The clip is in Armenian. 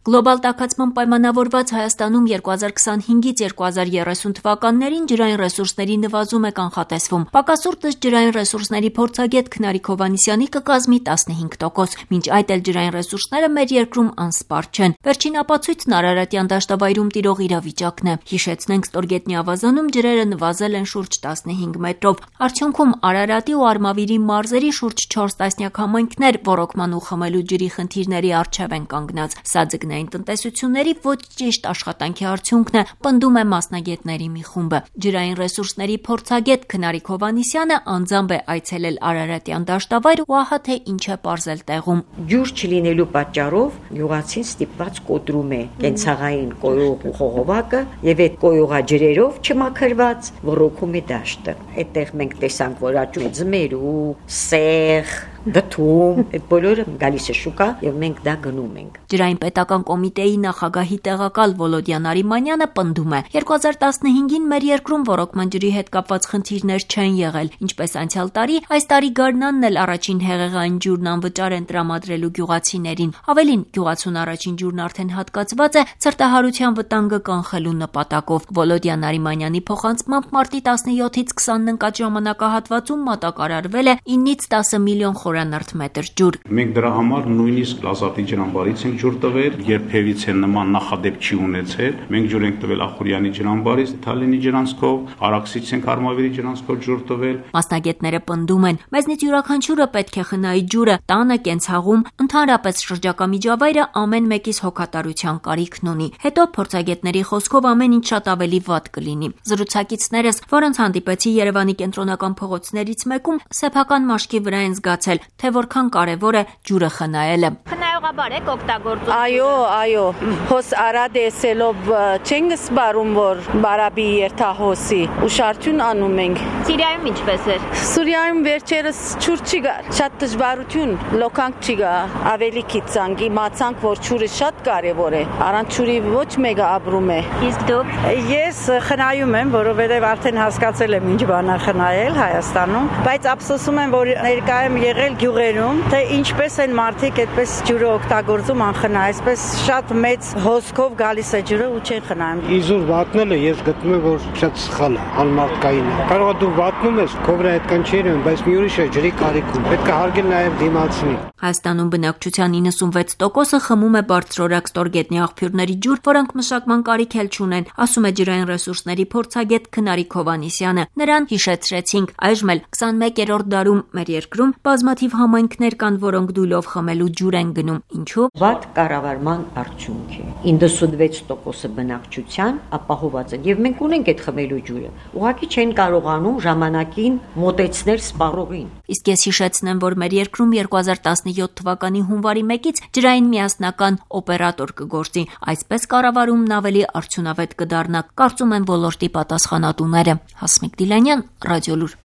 Գլոբալ տաքացման պայմանավորված Հայաստանում 2025-ից 2030 թվականներին ջրային ռեսուրսների նվազում է կանխատեսվում։ Պակասուրտս ջրային ռեսուրսների փորձագետ Քնարիկ Հովհաննիսյանի կկազմի 15%, մինչ այդ էլ ջրային ռեսուրսները մեր երկրում անսպառ չեն։ Վերջին ապացույցն Արարատյան դաշտավայրում տիրող իրավիճակն է։ Հիշեցնենք, Ստորգետնյա ավազանում ջրերը նվազել են շուրջ 15 մետրով։ Արդյունքում Արարատի ու Արմավիրի մարզերի շուրջ 4 տասնյակ համայնքներ ոռոգման ու խմելու ջրի խնդիրների առջև են կանգնած։ Սա ձկնային տնտեսությունների ոչ ճիշտ աշխատանքի արդյունքն է, պնդում է մասնագետների մի խումբը։ Ջրային ռեսուրսների փորձագետ Քնարիկ Հովհաննիսյանը անձամբ է այցելել Արարատյան դաշտավայր ու ահա թե ինչ է պարզել տեղում։ Ջուր չլինելու պատճառով յուղացին ստիպված կոտրում է կենցաղային կոյուղ ու խողովակը եւ այդ կոյուղաջրերով չմաքրված ոռոգում է դաշտը։ Այդտեղ մենք տեսանք, որ աճում է ձմերու, սեղ, դդում, այդ բոլորը գալիս է շուկա եւ մենք դա գնում ենք։ Ջրային պետական կոմիտեի նախագահի տեղակալ Վոլոդյան Արիմանյանը պնդում է. 2015-ին մեր երկրում ոռոգման ջրի հետ կապված խնդիրներ չեն եղել, ինչպես անցյալ տարի, այս տարի գարնանն էլ առաջին հեղեղային ջուրն անվճար են տրամադրելու գյուղացիներին։ Ավելին, գյուղացուն առաջին ջուրն արդեն հատկացված է ցրտահարության վտանգը կանխելու նպատակով։ Վոլոդյան Արիմանյանի փոխանցմամբ մարտի 17-ից 20-ն ընկած ժամանակահատվածում մատակարարվել է 9-ից 10 միլիոն խորանարդ մետր ջուր։ Մենք դրա համար նույնիսկ Ազատի ջրամբարից ենք ջուր տվել, երբևիցե նման նախադեպ չի ունեցել։ Մենք ջուր ենք տվել Ախուրյանի ջրամբարից, Թալենի ջրանցքով, Արաքսից ենք Արմավիրի ջրանցքով ջուր տվել։ Մասնագետները պնդում են, մեզնից յուրաքանչյուրը պետք է խնայի ջուրը, տանը, կենցաղում, ընդհանրապես շրջակա միջավայրը ամեն մեկիս հոգատարության կարիքն ունի։ Հետո փորձագետների խոսքով ամեն ինչ շատ ավելի վատ կլինի։ Զրուցակիցներս, որոնց հանդիպեցի Երևանի կենտրոնական փողոցներից մեկում, սեփական մաշկի վրա են զգացել, թե որքան կարևոր է ջուրը խնայելը։ Խնայողաբար եք օգտագործում։ Այո, հոս արադ էսելով չենք սպառում, որ բարաբի երթահոսի ուշարություն անում ենք։ Սիրիայում ինչպես էր։ Սուրիայում վերջերս ջուր չի գա, շատ դժվարություն, լոկանք չի գա, ավելի քիծանք, իմացանք, որ ջուրը շատ կարևոր է։ Առանց ջուրի ոչ մեկը ապրում է։ Իսկ դուք։ Ես խնայում եմ, որովհետև արդեն հասկացել եմ ինչ բան է խնայել Հայաստանում, բայց ափսոսում եմ, որ ներկա եմ եղել գյուղերում, թե ինչպես են մարդիկ այդպես ջուրը օգտագործում անխնա, այսպես շատ մեծ հոսքով գալիս է ջուրը ու չեն խնայում։ Իզուր վատնելը ես գտնում եմ, որ շատ սխալ է, անմարդկային է։ Կարող է դու վատնում ես, քո վրա այդքան չի երևում, բայց մի ուրիշ է ջրի կարիքում։ Պետք է հարգել նաև դիմացին։ Հայաստանում բնակչության 96%-ը խմում է բարձրորակ ստորգետնյա աղբյուրների ջուր, որոնք մշակման կարիք էլ չունեն, ասում է ջրային ռեսուրսների փորձագետ Քնարիկ Հովհաննիսյանը։ Նրան հիշեցրեցինք, այժմ էլ 21-րդ դարում մեր երկրում բազմաթիվ համայնքներ կան, որոնք դույլով խմելու ջուր են գնում։ Ինչու՞։ Վատ կառավարման արդյունք է։ 96%-ը բնակչության ապահոված են եւ մենք ունենք այդ խմելու ջուրը։ Ուղղակի չեն կարողանում ժամանակին մոտեցնել սպառողին։ Իսկ ես հիշեցնեմ, որ մեր երկրում 2017 թվականի հունվարի 1-ից ջրային միասնական օպերատոր կգործի։ Այսպես կառավարումն ավելի արդյունավետ կդառնա, կարծում են ոլորտի պատասխանատուները։ Հասմիկ Դիլանյան, Ռադիոլուր։